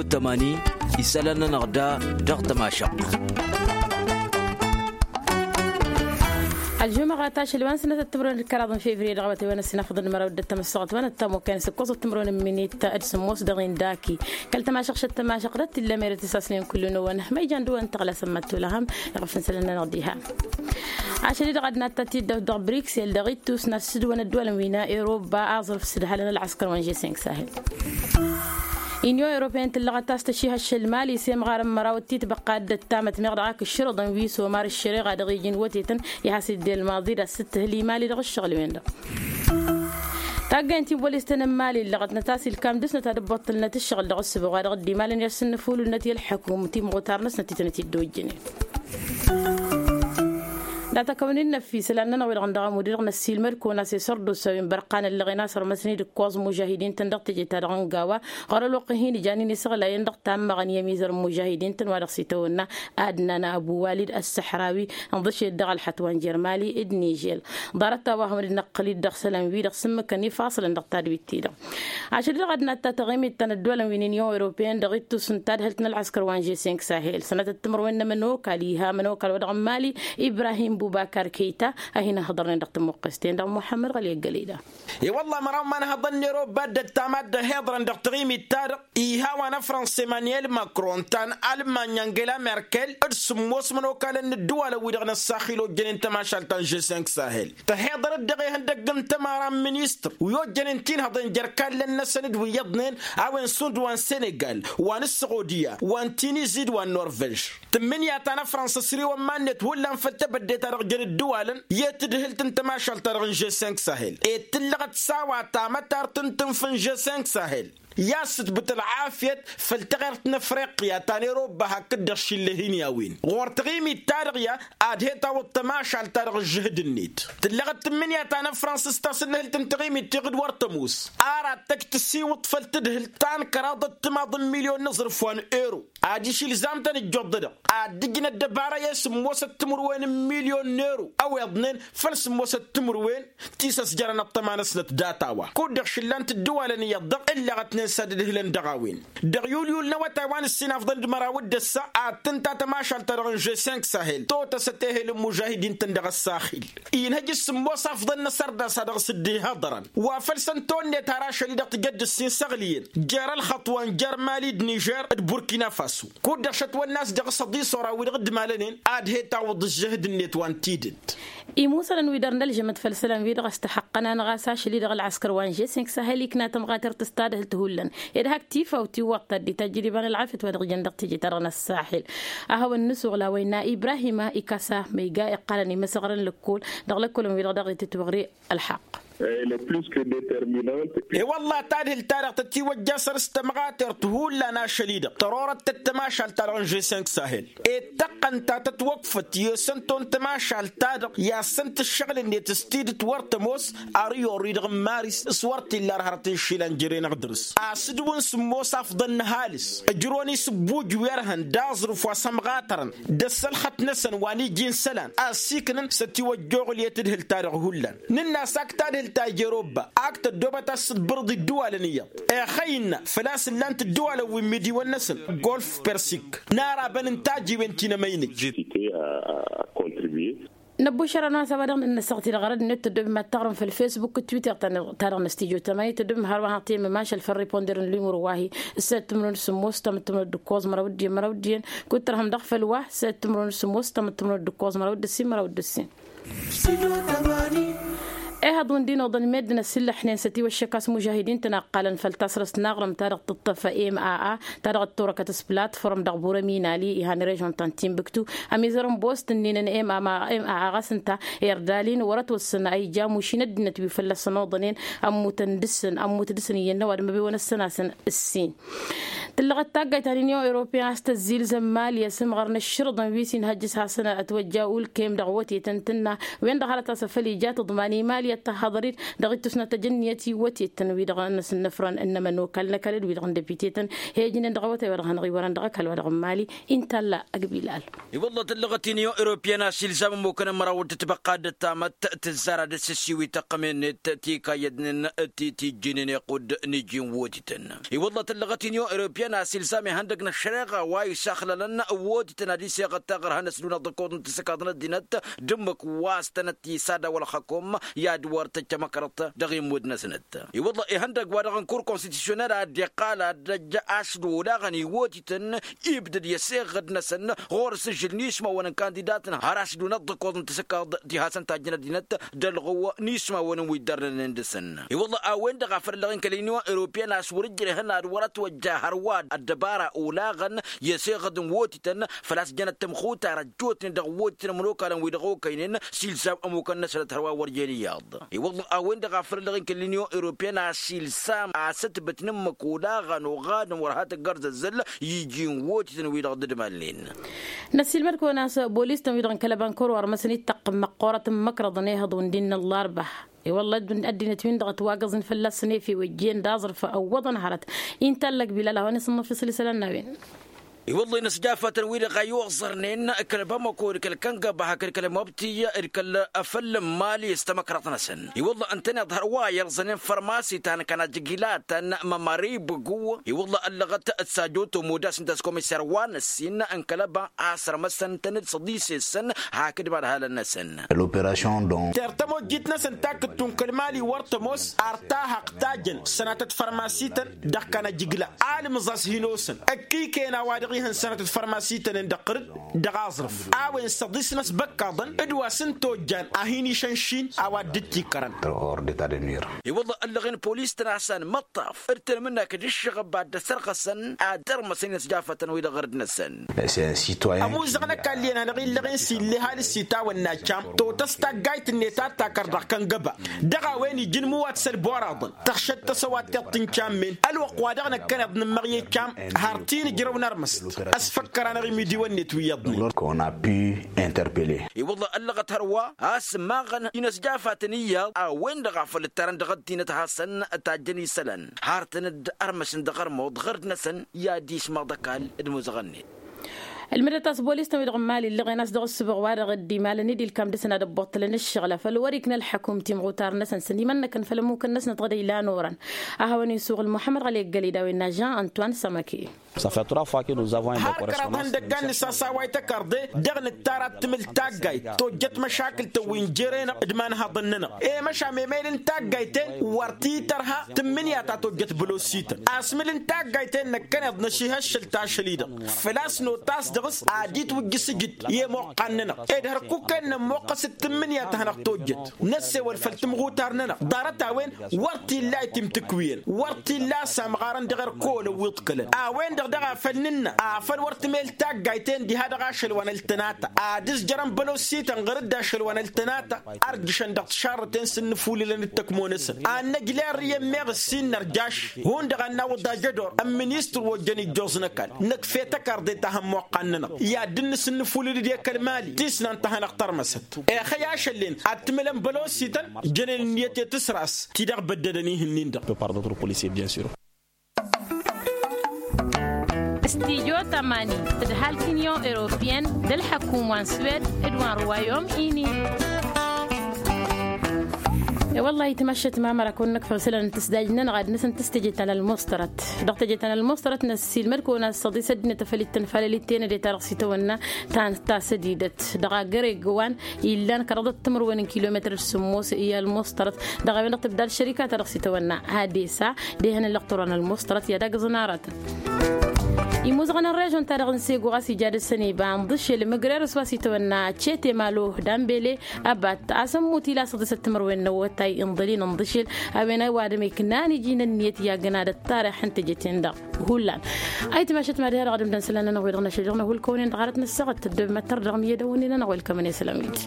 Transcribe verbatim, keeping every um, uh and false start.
Tămani isălan-nănăɣ da dăɣ-tămašăɣt. Ălžumăɣăt ašăl wa n-sănătăt timǝrwen d-kăraḍ n-fevriye dăɣ-awătay wa n-ăssinafăḍăn măraw d-ăttămăssăɣăt wa n-ăttamokăyăn s-ǝkkoẓăt timǝrwen n-minit d-sǝmmos dăɣ-inda aki kăl-tămašăɣšăt tămašăɣ d-ăttilăm ere tăsasnen kullu-năwăn ma ijan dăwăn tăɣlasăn măttulăhăm. Iɣăf n-sălăn-nănăɣ diha ašăl-i-dăɣ ad-natta tiddawt dăɣ-briksel dăɣ-ittus n-ad-sǝdwăn ăddualăn wi n-eroba aẓrǝf s-ǝdhalăn ălɣăskăr wa n-žeseng sahel. Inyon europeen tǝllăɣăt a-s tăšihăššăl mali s-emɣar n-măraw d-titbăqqa dd-ăttamăt meɣ dăɣ-ak ǝššǝrǝḍăn wi s-omar ăššăreɣa dăɣ-iji n-wătetăn i-has-dd-elmaḍi d-ad-sǝttǝhǝl imali dăɣ-ǝššăɣǝl-wen-dăɣ. Taggăyăn tiwwălistăn n-mali ǝllăɣătnăt a-s ilkam dăr-snăt ad-ǝbbăṭṭǝlnăt ǝššăɣǝl dăɣ-ǝssǝbăɣ wa dăɣ-dd-imalăn i-ad-sǝnnǝfulǝlnăt i-ălḥăkum timɣutar-năsnăt ti tănăt-dd-ojjănen. Data kăwăn-in-năffi isălan-nănăɣ wi-dăɣ n-dăɣ-amud-i-dăɣ năssiilmăd-kăwăn a-s isărdusa wi n-bărqan ăllăɣen a-s ărmăsăn-dd ǝkkoẓ mužahidin-tăn dăɣ-teje-ta-dăɣ n-gawa ɣur-ălwăqq-ih hin-ijanin isăɣlayăn dăɣ-tammăɣăn i-ămizăr n-mužahidin-tăn wa dăɣ-s itawănna adnan abu walid ăssăḥrawi ǝnḍǝšed dăɣ-ălxăt wa n-jer-mali d-nižel. Ḍarăt-a-wa hawăn-dd-năqqǝl-dd dăɣ-sălan-wi-dăɣ s-ǝmmǝkăn ifaṣǝlăn dăɣ-tadwit-ti-dăɣ. Ašăl-i-dăɣ ad-natta taɣimit ta n-ăddualăn wi n-inyon europeen dăɣ-ittus n-tadhǝlt n-ălɣăskăr wa n-žeseng sahel sănătăt timǝrwen n-ămănokal iha ămănokal wa dăɣ-n-mali ibrahim bubakar keyta a hin-ăhhăḍărnen dăɣ-tămuqqes-ten-dăɣ muḥămmăd ɣăli ăggălăy da. I-wălla măraw ma n-hăḍăn n-eroba dd-ăttam ad-dd-ăhiḍărăn dăɣ-taɣimit-ta-dăɣ iha wa n-afrănsa emanuel macron ta n-almanya angela merkel d-sǝmmos mănokalăn n-ădduwalăn-wi-dăɣ n-ăssaxil ojjănen tămašalt ta n-žeseng sahel. Tăhiḍăr-dd dăɣ-ihăndăgg n-tămara n-ministăr wi ojjănen tinhăḍen jer-kallăn-năsăn d-wi iyyăḍnen a-wen sund wa n-senegal wa n-ăssăɣodiya wa n-tinizi d-wa n-norvej. Tǝmmǝnǝya ta n-afrănsa s-riwăn iman-net hullan făll-tebădde-ta-dăɣ jăn ǝddǝwalăn i-tadhǝlt n-tămašalt-ta-dăɣ n-žeseng sahel ed tǝllăɣăt s-a-wa tamătart n-tǝnf n-žeseng sahel i-ad-sǝtbǝt ălɣafyăt făll-taɣert n-afriqya ta n-eroba hakd-dăɣ šille hin-i-a-wen ɣur-taɣimit-ta-dăɣ i-ad-he-tawǝḍ tămašalt-ta-dăɣ ǝžžǝhǝd-net. Tǝllăɣăt tǝmmǝnǝya ta n-afrănsa s-tasǝnnǝhǝlt n-taɣimit tiɣǝd wăr tămoos ar ad-tăj tăsiwǝḍ făll-tadhǝlt ta n-kăraḍăt timaḍ n-milyon n-aẓrǝf wa n-ero. Adiš ilzam-tăn ǝjjuḍ-dăɣ ad-dd-ǝjnăt dăbara i-sǝmmosăt timǝrwen n-milyon n-ero a-wa iḍnen făll-sǝmmosăt timǝrwen ti s-ăsjărăn ăṭṭăma-năsnăt data-wa kud-dăɣ šǝllan-t ǝddǝwalăn iyyăḍ-dăɣ ǝllăɣătnen s-ad-ǝdhǝlăn dăɣ-a-wen. Dăɣ-yulyul n-awătay wa n-ǝssin afḍăn d-măraw d-ăssa ad-tǝnta tămašalt-ta-dăɣ n-žeseng sahel totăsăt ehel n-mužahidin-tăn dăɣ-ăssaxil. Inhăj s-sǝmmos afḍăn n-asărdas a dăɣ-s-dd-ihăḍărăn wa făl săn tonnet har ašăl-i-dăɣ tǝjăd dd-ǝssin săɣliyăn jer-ălxăṭṭ wa n-jer-mali d-nižer d-burkina faso. Kud-dăɣ šătwănna a-s dăɣ-s ăḍisora wi-dăɣ dd-malănen ad-he-tawǝḍ ǝžžǝhǝd-net wa n-tidǝt. Imusălăn wi dăr-nălžămăt făll-isălan-wi-dăɣ a-s tăxăqqăn-anăɣ a-s ašăl-i-dăɣ ălɣăskăr wa n-žeseng sahel ikna tămɣatert s-tadhǝlt hullan ed hak tifaw tiwwăḍ ta dd-itajjăd iba n-ălɣafyăt wa dăɣ-ijăn dăɣ-teje-ta-dăɣ n-ăssaxil. A hawăn-nǝsuɣla wa innă ibrahima ikasa ma iga iqqalăn imǝsăɣrăn lăkkol dăɣ-lăkkolăn-wi-dăɣ daɣ itǝtwăɣre ălḥaqq. E-wălla tadhǝlt-ta-dăɣ tătiwăjja săr-s tămɣatert hullan ašăl-i-dăɣ tărorăt-tăt tămašalt-ta-dăɣ n-žeseng sahel ed tăqqăn ta tătwăkfăt i-osăn ton tămašalt-ta-dăɣ i-ad-săn-tǝššăɣǝl-net s-tidǝt wăr tămoos. Ar iorri-dăɣ n-maris s-wăr t-illa ar hărăt n-išilan jere-năɣ dăr-s asǝdǝw n-sǝmmos afḍăn n-ăhalǝs ǝjrăwăn isǝbbuj wi ărhăn d-aẓrǝf wa s-ămɣatărăn d-ăssălxăt-năsăn wa n-iji n-isălan a ăssiiknăn s-ătiwăjjoɣǝl i-tadhǝlt-ta-dăɣ hullan. Nǝnn'-as ak tadhǝlt ta ija eroba ak tăddoobăt a-s tǝḍbărǝḍ iddǝwalăn iyyăḍ. Ixăy innă făl-a-s ǝllan-t ǝddǝwalăn wi n-imidiwăn-năsăn golf persik n-arabăn n-tajiwen ti n-emăynăj. Năbbušăr ănnu a-s a-wa dăɣ-nănnăsăɣ-t-dd ɣărăd-net tăddoobem ad-taɣrǝm făll-fesbuk d-twitter ta-dăɣ n-năstijotăm a ităddoobem hărwa hanăɣ-temmăm ašăl făll-riponder n-limur wa-hi. S-săyăt timǝrwen s-sǝmmos tamǝttǝmrăd d-ǝkkoẓ măraw d-iyyăn măraw d-iyyăn kud-tărhăm dăɣ-făll-wa. S-săyăt timǝrwen s-sǝmmos tamǝttǝmrăd d-ǝkkoẓ măraw d-ǝssin măraw d-ǝssin. Ehăḍ wi n-dinăwḍăn meddǝn ăsillăḥnen s-ătiwăššăk a-s mužahidin-tăn a ǝqqalăn făll-tasrăst n-aɣrǝm ta dăɣ-tǝṭṭăf ema a ta dăɣ-ătturăkăt s-platform dăɣ-bur ăminali ihan režon ta n-timbuktu. Ămizăr n-boston n-inăn ema a ɣas ǝnta erdalin wăr-ătwăssăn a ija amuš-in ăddinăt wi fălla-săn oḍănen. Ămmutăn dăɣ-săn ămmut dăɣ-săn iyyăn n-ăwadǝm ăbewăn ăssănasăn ǝssin. Tǝllăɣăt taggayt ta n-inyon europeen a-s tăzzilzăm mali asǝmɣăr n-ǝššǝrǝḍăn wi s-inhăjjǝs hasăn-ătwăjja ulkem dăɣ-wătetăn tǝnna wen-dăɣ hărăt a-s afăl ija tǝḍman i-mali. i-ad-tăhhăḍăr-dd dăɣ-ittus n-ad-tăj ǝnniyăt iwwătetăn-wi-dăɣ n-asǝnnăfrăn n-emănokal n-ăkall d-wi-dăɣ n-depite-tăn. He-ijnen dăɣ-awătay wa dăɣ-hanăɣ-iwărăn dăɣ-ăkall wa dăɣ-n mali. Intalla ăgg-bilal. I-wălla tǝllăɣăt inyon europiyăn a-s ilzam ămmukăn n-măraw d-tibăqqa d-ăttamăt tǝzzar ad-dd-sǝssiwǝy tăqqămen-net tikayyădnen ti tijjǝynen iqqud n-iji n-wotităn. I-wălla tǝllăɣăt inyon europiyăn a-s ilzam ihăndăg n-ăššăreɣa wa isaxlălăn wotităn ad-iseɣăt taɣărha n-ăsdunăɣ d-ăkkoḍ n-tisǝkaḍ n-ăddinăt d-ǝmmǝk wa s-tănăt-tisad a-wa ălxăkum i-ad-wăr tăjj tamăkrăḍt dăɣ-immud-năsnăt. I-wălla ihăndăg wa dăɣ-n kur konstitusyonel a dd-iqqal ad-dd-ăjj ašlu olaɣăn iwotităn ibdăd i-ăseɣăd-năsăn ɣur-s ǝžžǝl n-ismawăn n-kandidatăn har ašlu n-ăḍḍăkoḍ n-tisǝkaḍ ti hasăn-tajjăn ăddinăt d-ălɣǝw n-ismawăn wi dd-ărnănen dăɣ-săn. I-wălla a-wen-dăɣ a făl ălleɣ-in kăl-inyon europiyăn a-s wăr-ǝjreh ad-wăr-ătwăjja hărwa ăddăbara olaɣăn i-ăseɣăd n-wotităn făl-a-s jănăt tămxutar ăjjootnen dăɣ-wotităn ămănokalăn wi dăɣ-okăynen s-ilzam ămukăn-năsnăt hărwa wăr jen iyyăḍ. I-wălla a-wen-dăɣ a făl ălleɣ-in kăl-inyon europiyăn a-s ilzam asǝtbǝt n-ǝmmǝk olaɣăn oɣadăn wăr ha tǝggărzăzzăl iji n-wotităn wi-dăɣ dd-mălnen. Năssiilmăd-kăwăn a-s bolis-tăn wi-dăɣ n-kăl-ăbankăr wăr măsăn ittăqqǝm măqqoorăt n-imăkrăḍăn ihăḍ wǝndin n-ăllarba. I-wălla ăddinăt wi-dăɣ ătwagăẓ n-fălla-săn efew ăjjeen d-aẓrǝf ăwwăḍăn hărăt intallăk bilal a-wa n-isǝnnăf isăl isălan n-a-wen. I-wălla-i n-asjafatăn wi-dăɣ a iwăẓărnen kăl-bamăko d-kăl-kăngăba hakd kăl-mobti d-kăl-afăllăm mali s-tamăkrăḍt-năsăn. I-wălla ǝntăneḍ hărwa i-ărẓănen fărmasi ta n-kănajǝgila ta n-mămări bǝgu. I-wălla ăllăɣăt d-sajoto modas n-tas-komiser wa n-ǝssin n-kăl-ăba a sărmăsăn tăn-dd săḍise-săn hakd madhalăn-năsăn. L-operasyon dont. Ter tămojjit-năsăn ta kǝttu n-kăl-mali wăr tămoos ar tahăq tajăn sănatăt fărmasităn dăɣ-kănajǝgla alǝmẓas hin-osăn ăkkiken a-wa dăɣ-ihăn sănatăt fărmasităn-en dăɣ-tărǝd dăɣ-aẓrǝf a-wen săḍisnăs băkkaḍăn d-wa s-ǝnta ojjan a hin-išănšin a-wa dd-tikkărăn. I-wălla ăllăɣen polis-tăn a-s anmăṭṭaf d-tănmǝnnak d-ǝššăɣăb ad-dd-ăsărɣăsăn ad-ărmăsăn i-inăsjafatăn-wi-dăɣ ɣărd-năsăn. Ămuzăɣ n-ăkall iyyăn hanăɣ-illăɣen s-ille ăhalǝs s-itawănna cam totăs taggayt-net ad-takăr dăɣ-kăngăba dăɣ-a-wen iji n-imǝwat s-ălboraḍăn tăɣšăt tăsăwat tiḍt n-cammăn ălwăqq wa dăɣ-năkkăneḍ nǝmmăɣ i-cam har ti n-ǝjrăw n-armăst. Ăsfăkkăr-anăɣ imidiwăn-net wi iyyăḍnen. Qu'on a pu interpeller. I-wălla ăllăɣăt hărwa a-s ǝmmaɣăn inăsjafatăn iyyăḍ a-wen-dăɣ a făl ǝttarăn dăɣ-ăddinăt hasăn-tajjăn isălan har tăn-dd-ărmăsăn dăɣ-ărmuḍ ɣărd-năsăn i-ad-ismaḍ ăkall d-imuzăɣăn-net. Ǝlmǝdăt a-s bolis-tăn-wi-dăɣ n-imali ǝllăɣen a-s dăɣ-ǝssǝbăɣ wa dăɣ-dd-imalăn-dd ilkam dăr-săn ad-ăbbuṭṭălăn ǝššăɣǝl a făl wăr-ikna ălḥăkum timɣutar-năsăn s-ănimănnăkăn făll-ămmukăn-năsnăt ɣǝd a ilan orăn. A hawăn-isuɣǝl muḥămmăd ɣali ăggăled a-wen n-ažan antoine sămăke. Har kăraḍ ihăndăggan nǝsasaway tăkarḍe dăɣ-nǝttar ad-tǝmǝl taggayt tojjăt măšakǝl-tăn wi n-jere-năɣ d-imanhaḍăn-nănăɣ. I-măšan memăyăd n-taggayt-en wăr t-tărha tǝmmǝnǝya ta tojjăt bălosităn asmǝl n-taggayt-en năkkăneḍ năšihăššăl tašăl-i-dăɣ făl-a-s notas dăɣ-s ad-itwǝjjǝs ǝjǝd i-ămoqqan-nănăɣ ed hărkuk-en nămmoqqăs d-tǝmmǝnǝya ta hanăɣ-tojjăt. Năssewăl făll-timɣutar-nănăɣ ḍarăt-a-wen wăr t-illa a itimtǝkwǝyăn wăr t-illa a samɣarăn dăɣ-erk olăn wi ǝḍkălăn a-wen-dăɣ daɣ a făl nǝnnă afăl wăr tǝmel taggayt-en diha dăɣ-ašăl wa n-ăltănata ad-ǝzjărăn bălosităn ɣăr-dd ašăl wa n-ăltănata. Ărjǝšăn dăɣ-tišarrăten s-ǝnnǝfulǝlăn d-tăkmo-năsăn ad-năjla err i-ămmeɣ ǝssin nărjaš hundăɣ ad-nawǝḍ ajădor ămministăr wa ojjăn ijjoẓ n-ăkall. Năkf'-e tăkarḍe ta hămmoqqan-nănăɣ i-ad-dd-nǝs ǝnnǝfulǝl-dd i-kăl-mali tisnan ta hanăɣ-tărmăsăt. Ixăy ašăl-en ad-tǝmǝlăn bălosităn jănen ǝnniyăt i-tǝsras ti-dăɣ băddădăn ihǝnnin-dăɣ. Stijo tamani d-halk inyon europiyăn d-ălḥăkum wa n-swed d-wa n-ruwayom ini. E-wăllah itmăššăt mamăra kăwăn-năkfăɣ isălan n-tǝsdajt-nănăɣ ad-năsăn tǝstăje ta n-ălmuṣtărăt dăɣ-tăje ta n-ălmuṣtărăt năssiilmăd kăwăn-assăḍis ăddinăt afăl ittăn falăl ittenăde ta dăɣ-s itawănna ta n-tasădidăt dăɣ-agăreg wa n-illan kăraḍăt timǝrwen n-kilometăr d-sǝmmos i-ălmuṣtărăt. Dăɣ-a-wen-dăɣ tǝbdal šărika ta dăɣ-s itawănna hadesa d-ehăn ǝllăɣ turăn ălmuṣtărăt i-ad-agǝẓăn aratăn imuzăɣăn n-režon-ta-dăɣ n-sego ɣas ija dăr-săn iba ǝnḍǝšel mǝgrerăs wa s-itawănna cete malo d-ambele. Ăbat a-s ămmut ila săḍisăt timǝrwen n-awătay inḍăl-in ǝnḍǝšel. A-wen a-wa dămeknan iji n-ǝnniyăt i-agǝnadăt tarix n-teje-ten-dăɣ hullan. Ayǝtmašăt ma diha dăɣ-ad-ǝmdăn isălan-nănăɣ wi-dăɣ n-ašăl dăɣ-năhulkăwnen dăɣ-arăt nǝssăɣăt tăddobem ad-tărdăɣ miyădăwăn-i-nănăɣ welkămăn isălan wi-dăɣ.